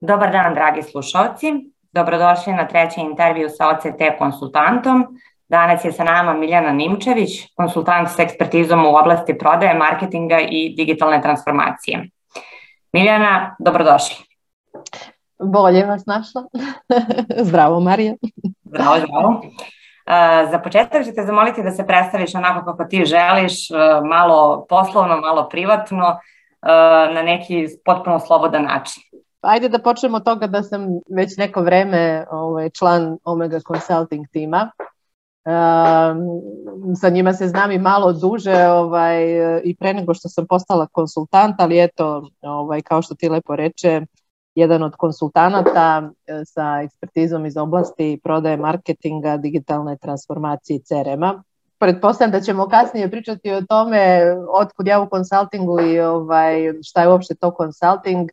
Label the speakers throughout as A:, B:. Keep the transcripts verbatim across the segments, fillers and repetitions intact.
A: Dobar dan, dragi slušalci. Dobrodošli na treći intervju sa O C T konsultantom. Danas je sa nama Miljana Nimčević, konsultant s ekspertizom u oblasti prodaje, marketinga i digitalne transformacije. Miljana, dobrodošli.
B: Bolje vas našla. Zdravo, Marija.
A: Zdravo, zdravo. Za početak ću te zamoliti da se predstaviš onako kako ti želiš, malo poslovno, malo privatno, na neki potpuno slobodan način.
B: Ajde da počnemo od toga da sam već neko vreme ovaj, član Omega Consulting tima. Um, sa njima se znam i malo duže ovaj, i pre nego što sam postala konsultant, ali eto, ovaj, kao što ti lepo reče, jedan od konsultanata sa ekspertizom iz oblasti prodaje, marketinga, digitalne transformacije i C R M-a. Pretpostavljam da ćemo kasnije pričati o tome otkud ja u konsultingu i ovaj, šta je uopšte to konsulting.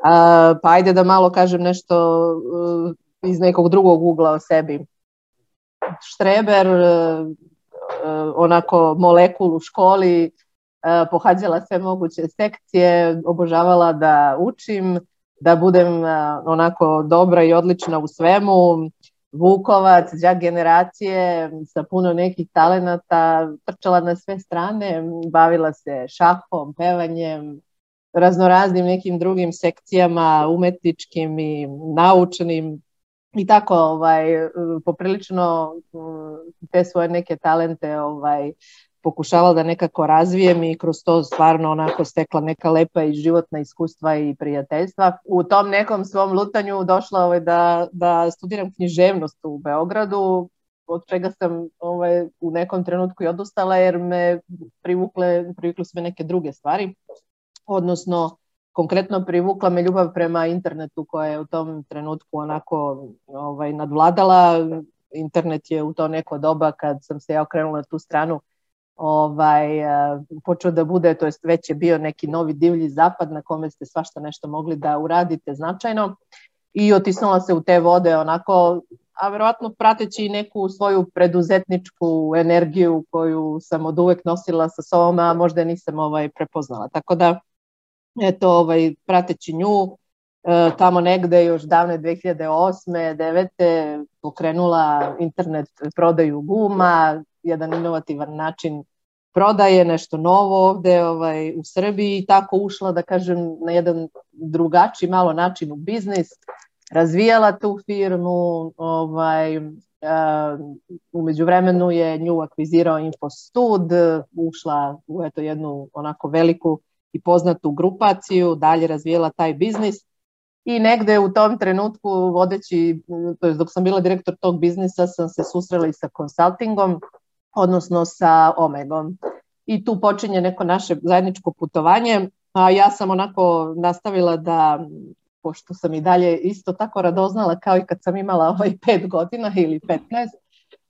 B: Uh, pa ajde da malo kažem nešto uh, iz nekog drugog ugla o sebi. Štreber, uh, uh, onako molekul u školi, uh, pohađala sve moguće sekcije, obožavala da učim, da budem uh, onako dobra i odlična u svemu. Vukovac, đak generacije sa puno nekih talenata, trčala na sve strane, bavila se šahom, pevanjem, raznoraznim nekim drugim sekcijama, umetničkim i naučnim i tako ovaj, poprilično te svoje neke talente ovaj, pokušavala da nekako razvijem i kroz to stvarno onako stekla neka lepa i životna iskustva i prijateljstva. U tom nekom svom lutanju došla ovaj, da, da studiram književnost u Beogradu, od čega sam ovaj, u nekom trenutku i odustala jer me privukle, privukle su me neke druge stvari. Odnosno, konkretno privukla me ljubav prema internetu koja je u tom trenutku onako ovaj, nadvladala. Internet je u to neko doba kad sam se ja okrenula na tu stranu ovaj, počeo da bude, to jest već je bio neki novi divlji zapad na kome ste svašta nešto mogli da uradite značajno i otisnula se u te vode onako, a verovatno prateći neku svoju preduzetničku energiju koju sam od uvek nosila sa sobom, a možda nisam ovaj, prepoznala. Tako da eto, ovaj, prateći nju, e, tamo negde još davne dve hiljade osme devete pokrenula internet prodaju guma, jedan inovativan način prodaje, nešto novo ovde ovaj, u Srbiji i tako ušla, da kažem, na jedan drugačiji malo način u biznis, razvijala tu firmu, ovaj, e, umeđu vremenu je nju akvizirao Infostud, ušla u eto, jednu onako veliku i poznatu grupaciju, dalje razvijela taj biznis i negde u tom trenutku vodeći, to je dok sam bila direktor tog biznisa, sam se susrela i sa konsultingom, odnosno sa Omegom. I tu počinje neko naše zajedničko putovanje, a ja sam onako nastavila da, pošto sam i dalje isto tako radoznala kao i kad sam imala ovaj pet godina ili petnaest,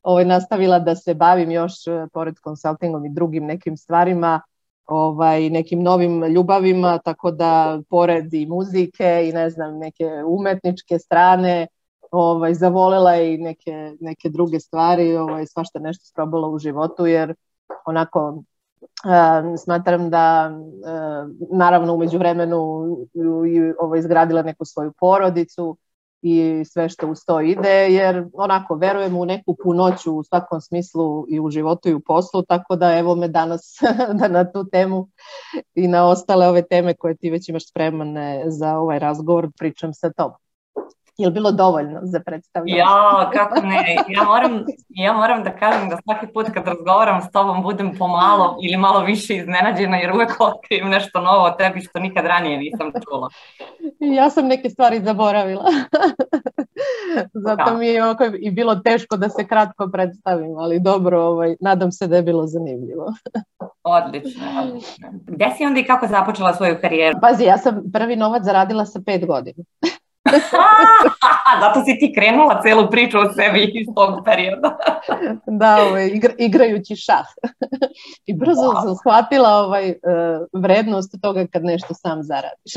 B: ovaj, nastavila da se bavim još pored konsultingom i drugim nekim stvarima, ovaj, nekim novim ljubavima, tako da pored i muzike i ne znam, neke umetničke strane, ovaj, zavolela i neke, neke druge stvari, ovaj, svašta nešto sprobala u životu, jer onako uh, smatram da uh, naravno umeđu vremenu ovaj, izgradila neku svoju porodicu i sve što uz to ide, jer onako verujem u neku punoću u svakom smislu i u životu i u poslu, tako da evo me danas da na tu temu i na ostale ove teme koje ti već imaš spremane za ovaj razgovor pričam sa tobom. Je li bilo dovoljno za predstavljanje?
A: Ja, kako ne. Ja moram, ja moram da kažem da svaki put kad razgovaram s tobom budem pomalo ili malo više iznenađena jer uvek otkrijem nešto novo o tebi što nikad ranije nisam čula.
B: Ja sam neke stvari zaboravila. Zato mi je ovako i bilo teško da se kratko predstavim, ali dobro, ovaj, nadam se da je bilo zanimljivo.
A: Odlično, odlično. Gde si onda i kako započela svoju karijeru?
B: Pazi, ja sam prvi novac zaradila sa pet godina.
A: Zato si ti krenula celu priču o sebi iz tog perioda.
B: Da, ovaj, igra, igrajući šah. I brzo wow. sam shvatila ovaj, vrednost toga kad nešto sam zaradiš.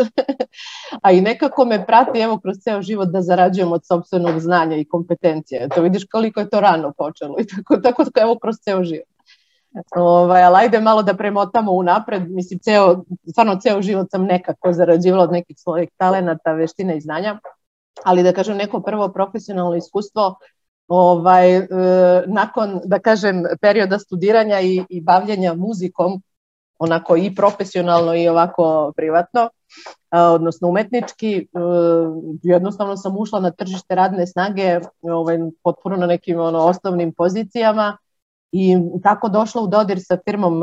B: A i nekako me prati evo kroz ceo život da zarađujem od sopstvenog znanja i kompetencije. To vidiš koliko je to rano počelo i tako, tako evo kroz ceo život. Ovaj, ali ajde malo da premotamo unapred. Mislim, ceo, stvarno ceo život sam nekako zarađivala od nekih svojih talenata, veština i znanja, ali da kažem neko prvo profesionalno iskustvo ovaj, e, nakon, da kažem, perioda studiranja i, i bavljenja muzikom, onako i profesionalno i ovako privatno, odnosno umetnički, jednostavno sam ušla na tržište radne snage ovaj, potpuno na nekim ono, osnovnim pozicijama i tako došla u dodir sa firmom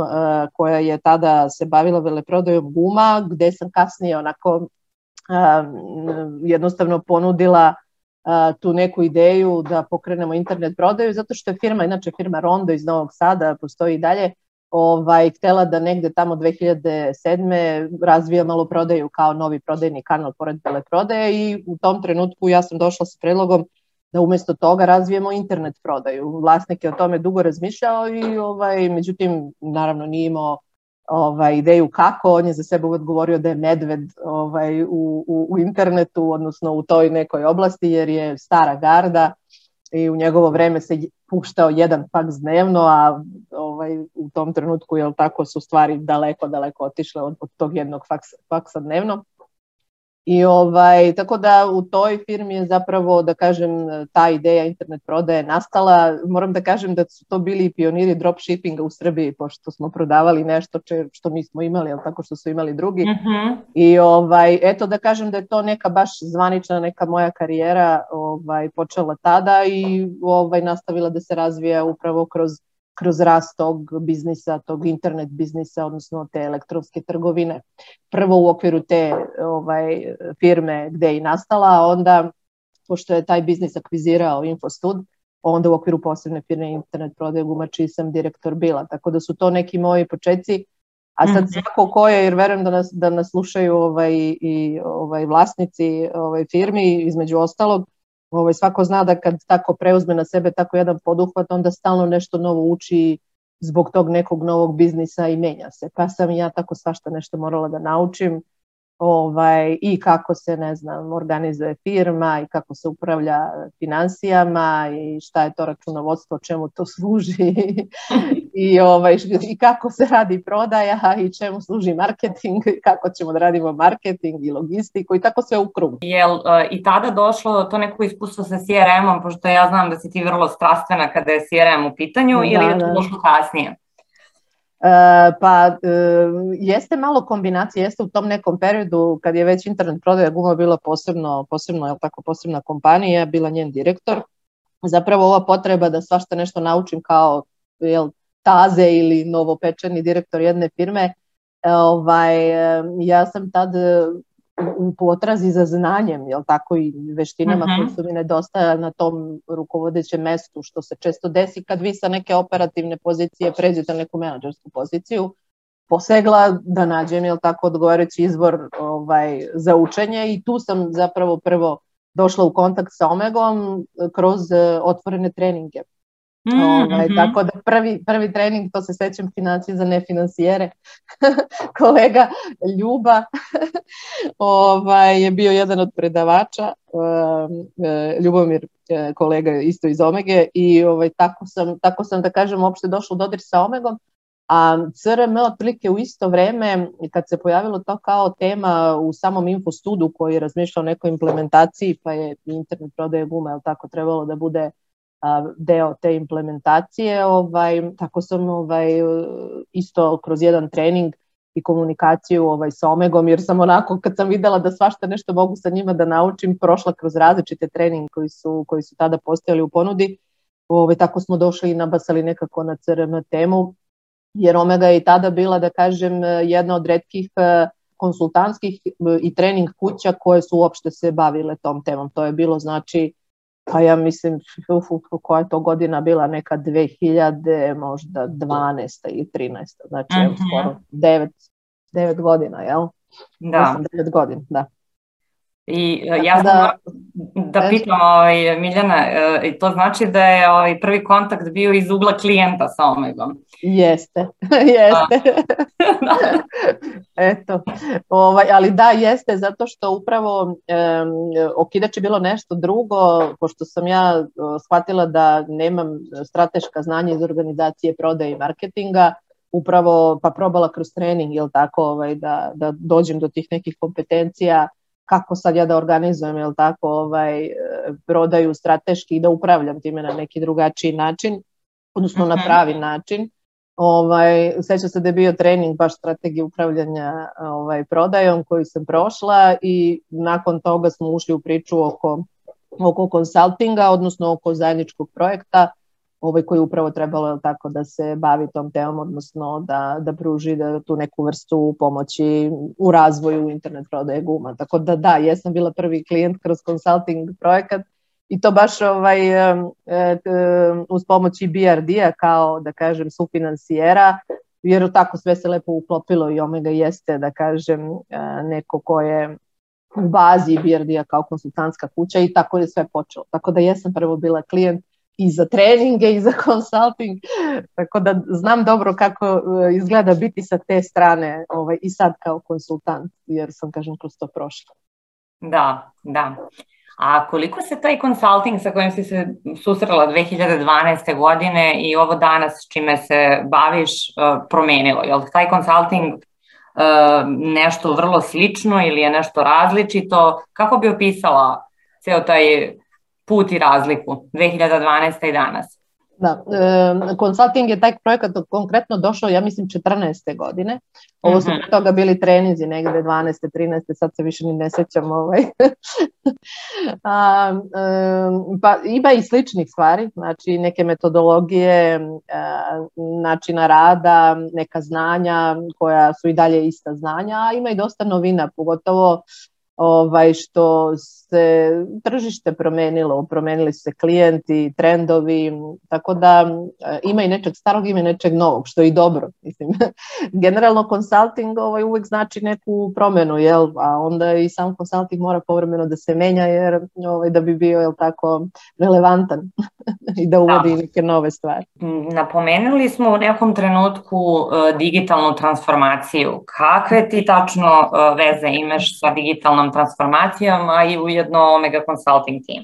B: koja je tada se bavila veleprodajom guma, gde sam kasnije onako jednostavno ponudila tu neku ideju da pokrenemo internet prodaju, zato što je firma, inače firma Rondo iz Novog Sada, postoji i dalje, Ovaj, htela da negde tamo dve hiljade sedme razvija maloprodaju kao novi prodajni kanal pored veleprodaje i u tom trenutku ja sam došla sa predlogom da umesto toga razvijemo internet prodaju. Vlasnik je o tome dugo razmišljao i ovaj, međutim naravno nije imao ovaj, ideju kako, on je za sebe uvek govorio da je medved ovaj, u, u, u internetu, odnosno u toj nekoj oblasti jer je stara garda i u njegovo vreme se puštao jedan faks dnevno, a ovaj, u tom trenutku jel, tako su stvari daleko, daleko otišle od, od tog jednog faksa, faksa dnevno. I ovaj, tako da u toj firmi je zapravo, da kažem, ta ideja internet prodaje nastala. Moram da kažem da su to bili pioniri dropshippinga u Srbiji, pošto smo prodavali nešto če, što nismo imali, ali tako što su imali drugi. Mm-hmm. I ovaj, eto da kažem da je to neka baš zvanična neka moja karijera ovaj, počela tada i ovaj, nastavila da se razvija upravo kroz kroz rast tog biznisa, tog internet biznisa, odnosno te elektronske trgovine. Prvo u okviru te ovaj, firme gde je i nastala, a onda, pošto je taj biznis akvizirao Infostud, onda u okviru posebne firme internet prodaje guma, čiji sam direktor bila. Tako da su to neki moji početci. A sad svako ko je, jer verujem da nas, da nas slušaju ovaj, i ovaj, vlasnici ovaj, firmi, između ostalog, Ovaj, svako zna da kad tako preuzme na sebe tako jedan poduhvat, onda stalno nešto novo uči zbog tog nekog novog biznisa i menja se. Pa sam i ja tako svašta nešto morala da naučim ovaj, i kako se, ne znam, organizuje firma i kako se upravlja finansijama i šta je to računovodstvo, čemu to služi i, ovaj, i kako se radi prodaja i čemu služi marketing, kako ćemo da radimo marketing i logistiku i tako sve u krug.
A: Je li uh, i tada došlo to neko iskustvo sa C R M-om, pošto ja znam da si ti vrlo strastvena kada je C R M u pitanju, da, ili je to došlo kasnije?
B: Uh, pa uh, jeste malo kombinacija, jeste u tom nekom periodu kad je već internet prodaja guma bila posebno, posebno, je li tako, posebna kompanija, ja bila njen direktor. Zapravo ova potreba da svašta nešto naučim kao jel, taze ili novopečeni direktor jedne firme, ovaj, ja sam tad u potrazi za znanjem, jel tako, i veštinama uh-huh. koje su mi nedostajale na tom rukovodećem mestu, što se često desi kad vi sa neke operativne pozicije pređete na neku menadžersku poziciju, posegla da nađem, jel tako, odgovarajući izvor ovaj, za učenje i tu sam zapravo prvo došla u kontakt sa Omegom kroz otvorene treninge. Mm-hmm. Ovaj, tako da prvi, prvi trening, to se sećam, financije za nefinansijere, kolega Ljuba ovaj, je bio jedan od predavača, Ljubomir, kolega isto iz Omege, i ovaj, tako, sam, tako sam da kažem uopšte došla u dodir sa Omegom, a C R M otprilike u isto vreme kad se pojavilo to kao tema u samom Infostudu koji je razmišljao o nekoj implementaciji, pa je internet prodaje guma, jel tako, trebalo da bude deo te implementacije, ovaj, tako sam ovaj, isto kroz jedan trening i komunikaciju ovaj, sa Omegom, jer sam onako kad sam videla da svašta nešto mogu sa njima da naučim, prošla kroz različite treninge koji su, koji su tada postojali u ponudi, ovaj, tako smo došli i nabasali nekako na C R M temu, jer Omega je i tada bila, da kažem, jedna od retkih konsultantskih i trening kuća koje su uopšte se bavile tom temom. To je bilo, znači, pa ja mislim, uf, koja je to godina bila, neka dve hiljade, možda dvanaesta i trinaesta, znači mm-hmm. skoro devet godina, jel?
A: Da.
B: devet godina, da.
A: I uh, ja
B: Tako
A: sam
B: da,
A: da pitam, ovaj, Miljana, uh, to znači da je ovaj, prvi kontakt bio iz ugla klijenta sa Omegom.
B: jeste, jeste. Eto, ovaj, ali da, jeste, zato što upravo um, okidač je bilo nešto drugo, pošto sam ja uh, shvatila da nemam strateška znanja iz organizacije prodaje i marketinga, upravo pa probala kroz trening, jel tako, ovaj, da, da dođem do tih nekih kompetencija, kako sad ja da organizujem, jel tako, ovaj, prodaju strateški i da upravljam time na neki drugačiji način, odnosno na pravi način. Ovaj, sećam se da je bio trening baš strategije upravljanja ovaj, prodajom koju sam prošla i nakon toga smo ušli u priču oko, oko konsultinga, odnosno oko zajedničkog projekta ovaj, koji upravo trebalo tako da se bavi tom temom, odnosno da, da pruži da tu neku vrstu pomoći u razvoju internet prodaje guma. Tako da da, jesam bila prvi klijent kroz consulting projekat i to baš ovaj, uz pomoć i B R D-a kao, da kažem, sufinansijera, jer tako sve se lepo uklopilo i Omega jeste, da kažem, neko ko je u bazi B R D-a kao konsultantska kuća i tako je sve počelo. Tako da jesam prvo bila klijent i za treninge i za consulting, tako da znam dobro kako izgleda biti sa te strane ovaj, i sad kao konsultant, jer sam, kažem, kroz to prošla.
A: Da, da. A koliko se taj consulting sa kojim si se susrela dve hiljade dvanaeste. godine i ovo danas s čime se baviš promenilo? Je li taj consulting nešto vrlo slično ili je nešto različito? Kako bi opisala ceo taj put i razliku dve hiljade dvanaeste. i danas?
B: Da, e, consulting je taj projekat konkretno došao, ja mislim, četrnaeste. godine. Ovo su pre toga bili treninzi negde dvanaeste. trinaeste. sad se više ni ne sećam. Ovaj. A, e, pa ima i sličnih stvari, znači neke metodologije, e, načina rada, neka znanja koja su i dalje ista znanja, a ima i dosta novina, pogotovo ovaj, što se tržište promenilo, promenili su se klijenti, trendovi, tako da ima i nečeg starog, ima i nečeg novog, što je i dobro. Mislim. Generalno consulting ovaj, uvek znači neku promenu, jel? A onda i sam consulting mora povremeno da se menja, jer ovaj, da bi bio, jel, tako, relevantan i da uvodi da. neke nove stvari.
A: Napomenuli smo u nekom trenutku uh, digitalnu transformaciju. Kakve ti tačno uh, veze imaš sa digitalnom transformacijom, a i ujedno Omega Consulting Team?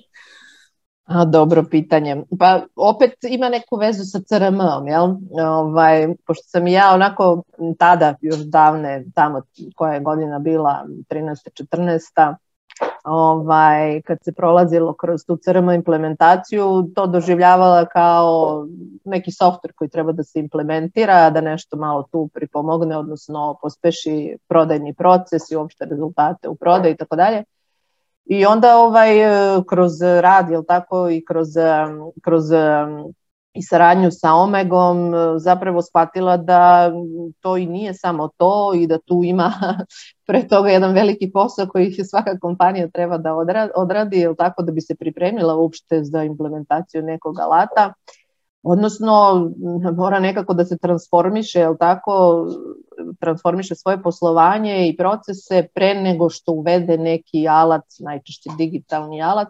B: A, dobro pitanje. Pa opet ima neku vezu sa C R M-om, jel? Ovaj, pošto sam ja onako tada, još davne, tamo koja je godina bila, trinaesta. četrnaesta. Ovaj, kad se prolazilo kroz tu C R M implementaciju, to doživljavala kao neki softver koji treba da se implementira, da nešto malo tu pripomogne, odnosno pospeši prodajni proces i uopšte rezultate u prodaji i tako dalje. I onda ovaj, kroz rad, jel tako, i kroz, kroz i saradnju sa Omegom zapravo shvatila da to i nije samo to i da tu ima pre toga jedan veliki posao koji svaka kompanija treba da odradi, jel tako, da bi se pripremila uopšte za implementaciju nekog alata. Odnosno, mora nekako da se transformiše, jel tako, transformiše svoje poslovanje i procese pre nego što uvede neki alat, najčešće digitalni alat.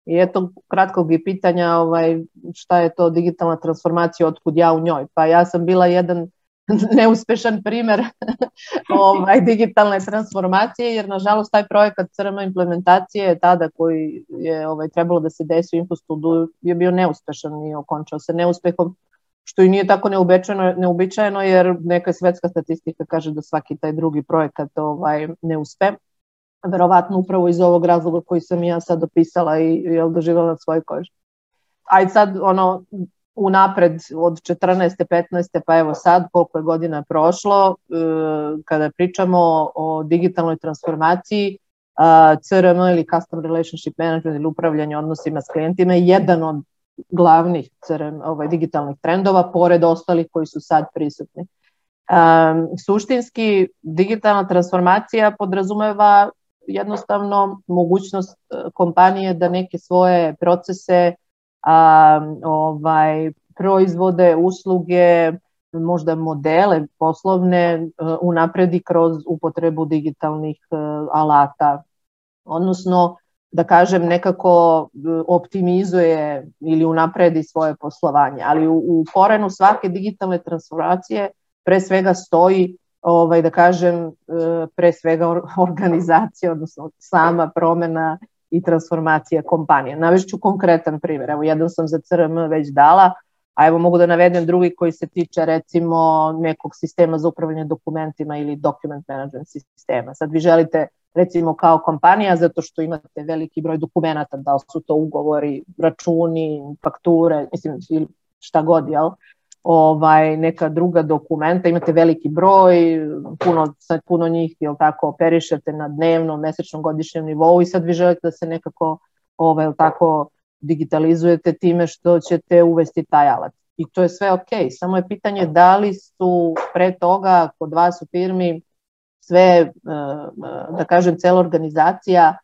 B: I eto kratkog i pitanja ovaj, šta je to digitalna transformacija, otkud ja u njoj. Pa ja sam bila jedan neuspešan primer ovaj, digitalne transformacije, jer nažalost taj projekat C R M implementacije tada koji je ovaj, trebalo da se desi u Infostudu je bio neuspešan i okončao se neuspehom, što i nije tako neobičajeno, neobičajeno jer neka svetska statistika kaže da svaki taj drugi projekat ovaj, ne uspe. Verovatno upravo iz ovog razloga koji sam ja sad opisala i jel, doživjela na svoj koži. Ajde sad ono unapred od četrnaeste. petnaeste. pa evo sad koliko je godina prošlo, kada pričamo o digitalnoj transformaciji, C R M ili Customer Relationship Management ili upravljanje odnosima s klijentima je jedan od glavnih C R M ovaj, digitalnih trendova, pored ostalih koji su sad prisutni. Um, suštinski, digitalna transformacija podrazumeva jednostavno mogućnost kompanije da neke svoje procese, a, ovaj, proizvode, usluge, možda modele poslovne unapredi kroz upotrebu digitalnih alata odnosno da kažem nekako optimizuje ili unapredi svoje poslovanje. Ali u, u korenu svake digitalne transformacije pre svega stoji, ovaj, da kažem, pre svega organizacija, odnosno sama promena i transformacija kompanije. Navešću konkretan primjer. Evo, jedan sam za C R M već dala, a evo mogu da navedem drugi koji se tiče recimo nekog sistema za upravljanje dokumentima ili document management sistema. Sad vi želite recimo kao kompanija, zato što imate veliki broj dokumenata, da li su to ugovori, računi, fakture, mislim šta god, jel? Ovaj, neka druga dokumenta, imate veliki broj, puno, sad puno njih, jel tako, operišete na dnevnom, mesečnom, godišnjem nivou i sad vi želite da se nekako ovaj, jel tako, digitalizujete time što ćete uvesti taj alat. I to je sve ok, samo je pitanje da li su pre toga kod vas u firmi sve, da kažem, cela organizacija,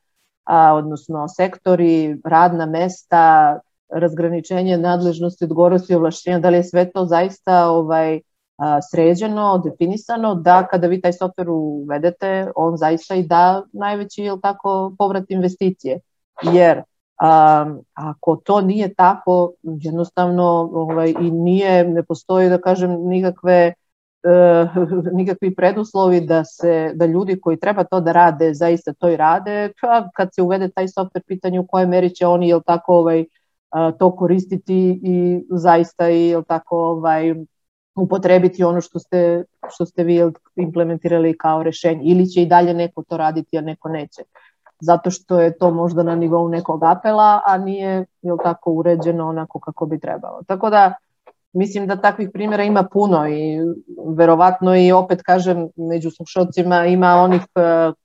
B: odnosno sektori, radna mesta, razgraničenje nadležnosti, odgovornosti i ovlašćenja, da li je sve to zaista ovaj, sređeno, definisano, da kada vi taj softver uvedete, on zaista i da najveći, jel tako, povrat investicije. Jer Um, ako to nije tako, jednostavno ovaj, i nije, ne postoji, da kažem, nikakve, uh, nikakvi preduslovi da, se, da ljudi koji treba to da rade, zaista to i rade, pa kad se uvede taj softver, pitanje u kojoj meri će oni, jel tako, ovaj, uh, to koristiti i zaista i, jel tako, ovaj, upotrebiti ono što ste, što ste vi implementirali kao rešenje, ili će i dalje neko to raditi, a neko neće. Zato što je to možda na nivou nekog apela, a nije, jel tako, uređeno onako kako bi trebalo. Tako da, mislim da takvih primjera ima puno i verovatno i opet kažem, među slušalcima ima onih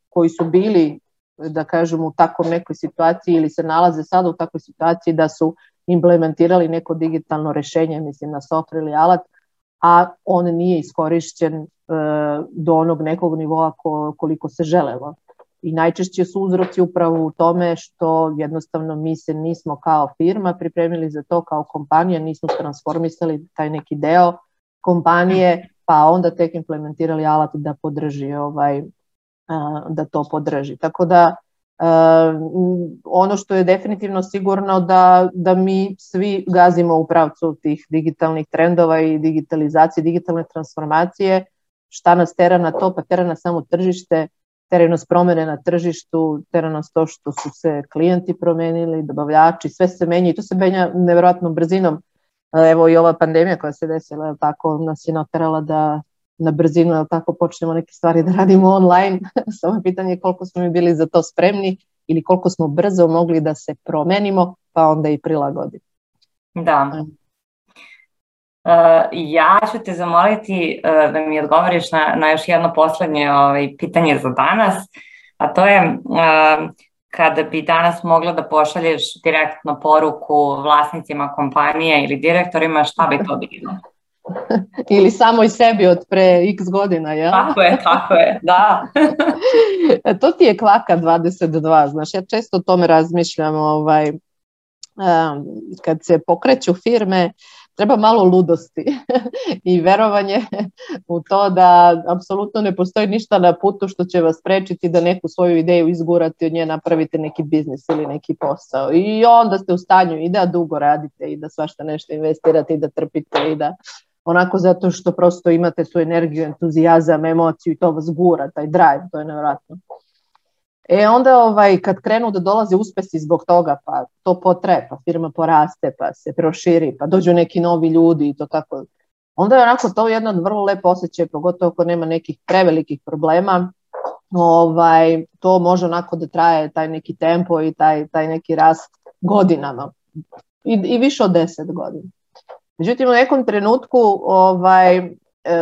B: koji su bili, da kažem, u takvom nekoj situaciji ili se nalaze sada u takvoj situaciji da su implementirali neko digitalno rešenje, mislim na software ili alat, a on nije iskorišćen do onog nekog nivoa koliko se želelo. I najčešće su uzroci upravo u tome što jednostavno mi se nismo kao firma pripremili za to, kao kompanija, nismo transformisali taj neki deo kompanije, pa onda tek implementirali alat da podrži, ovaj, da to podrži. Tako da ono što je definitivno sigurno da, da mi svi gazimo u pravcu tih digitalnih trendova i digitalizacije, digitalne transformacije. Šta nas tera na to? Pa tera nas samo tržište, teraju nas promene na tržištu, teraju nas to što su se klijenti promenili, dobavljači, sve se menja i to se menja nevjerojatnom brzinom. Evo i ova pandemija koja se desila, je tako, nas je naterala da na brzinu, je tako, počnemo neke stvari da radimo online. Samo pitanje je koliko smo mi bili za to spremni ili koliko smo brzo mogli da se promenimo, pa onda i prilagodimo.
A: Da. Uh, ja ću te zamoliti uh, da mi odgovoriš na, na još jedno poslednje ovaj, pitanje za danas, a to je uh, kada bi danas mogla da pošalješ direktno poruku vlasnicima kompanije ili direktorima, šta bi to bilo?
B: Ili samo i sebi od pre x godina, jel?
A: Tako je, tako je, da.
B: To ti je kvaka dvadeset dva, znaš, ja često o tome razmišljam, ovaj, um, kad se pokreću firme, treba malo ludosti i verovanje u to da apsolutno ne postoji ništa na putu što će vas sprečiti da neku svoju ideju izgurate, od nje napravite neki biznis ili neki posao. I onda ste u stanju i da dugo radite i da svašta nešto investirate i da trpite i da onako zato što prosto imate tu energiju, entuzijazam, emociju i to vas gura, taj drive, to je nevjerojatno. E onda ovaj, kad krenu da dolaze uspesi zbog toga, pa to potraje, pa firma poraste, pa se proširi, pa dođu neki novi ljudi i to tako. Onda je onako to jedan vrlo lep osjećaj, pogotovo ako nema nekih prevelikih problema. Ovaj, to može onako da traje taj neki tempo i taj, taj neki rast godinama. I, i više od deset godina. Međutim, u nekom trenutku ovaj,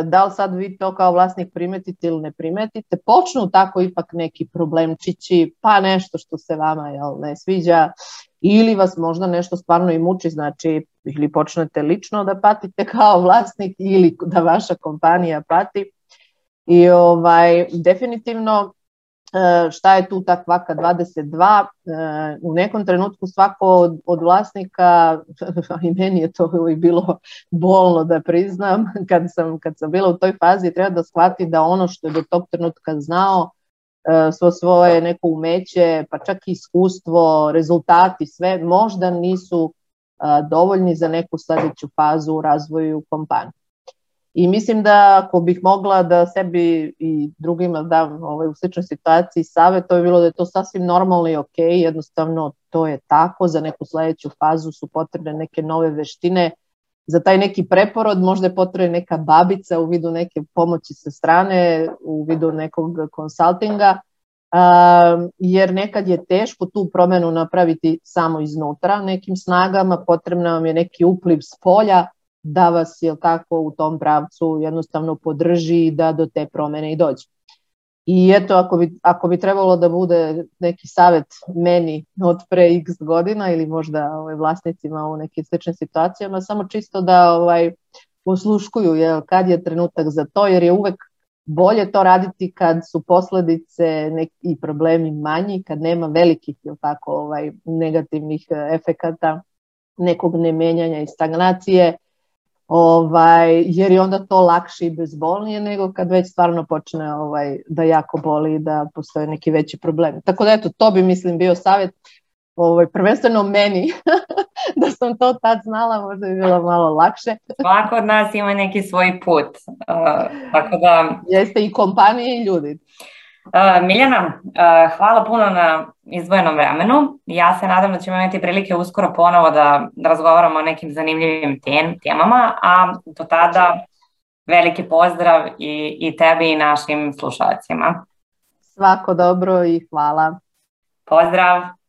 B: da li sad vi to kao vlasnik primetite ili ne primetite, počnu tako ipak neki problemčići, pa nešto što se vama jel, ne sviđa, ili vas možda nešto stvarno i muči, znači ili počnete lično da patite kao vlasnik ili da vaša kompanija pati. I ovaj, definitivno šta je tu ta kvaka dvadeset dva, u nekom trenutku svako od, od vlasnika, i meni je to bilo bolno da priznam, kad sam, kad sam bila u toj fazi, treba da shvati da ono što je do tog trenutka znao svo svoje neko umeće, pa čak i iskustvo, rezultati, sve možda nisu dovoljni za neku sljedeću fazu u razvoju kompanije. I mislim da ako bih mogla da sebi i drugima dam ovaj, u sličnoj situaciji savjet, to je bilo da je to sasvim normalno i ok, jednostavno to je tako, za neku sljedeću fazu su potrebne neke nove veštine, za taj neki preporod možda je potrebna neka babica u vidu neke pomoći sa strane, u vidu nekog konsultinga, um, jer nekad je teško tu promjenu napraviti samo iznutra nekim snagama, potrebno vam je neki upliv s polja da vas, jel tako, u tom pravcu jednostavno podrži da do te promjene i dođe. I eto, ako bi, ako bi trebalo da bude neki savjet meni od pre x godina ili možda ovaj, vlasnicima u nekim sličnim situacijama, samo čisto da ovaj, posluškuju jel, kad je trenutak za to, jer je uvek bolje to raditi kad su posljedice neki problemi manji, kad nema velikih jel, tako, ovaj, negativnih efekata, nekog nemenjanja i stagnacije, Ovaj, jer je onda to lakše i bezbolnije nego kad već stvarno počne ovaj, da jako boli i da postoje neki veći problemi. Tako da eto, to bi mislim bio savjet ovaj, prvenstveno meni, da sam to tad znala, možda bi bilo malo lakše.
A: Svako od nas ima neki svoj put. Uh, tako da...
B: Jeste i kompanije i ljudi.
A: Uh, Miljana, uh, hvala puno na izdvojenom vremenu. Ja se nadam da ćemo imati prilike uskoro ponovo da, da razgovaramo o nekim zanimljivim tem, temama, a do tada veliki pozdrav i, i tebi i našim slušalcima.
B: Svako dobro i hvala.
A: Pozdrav!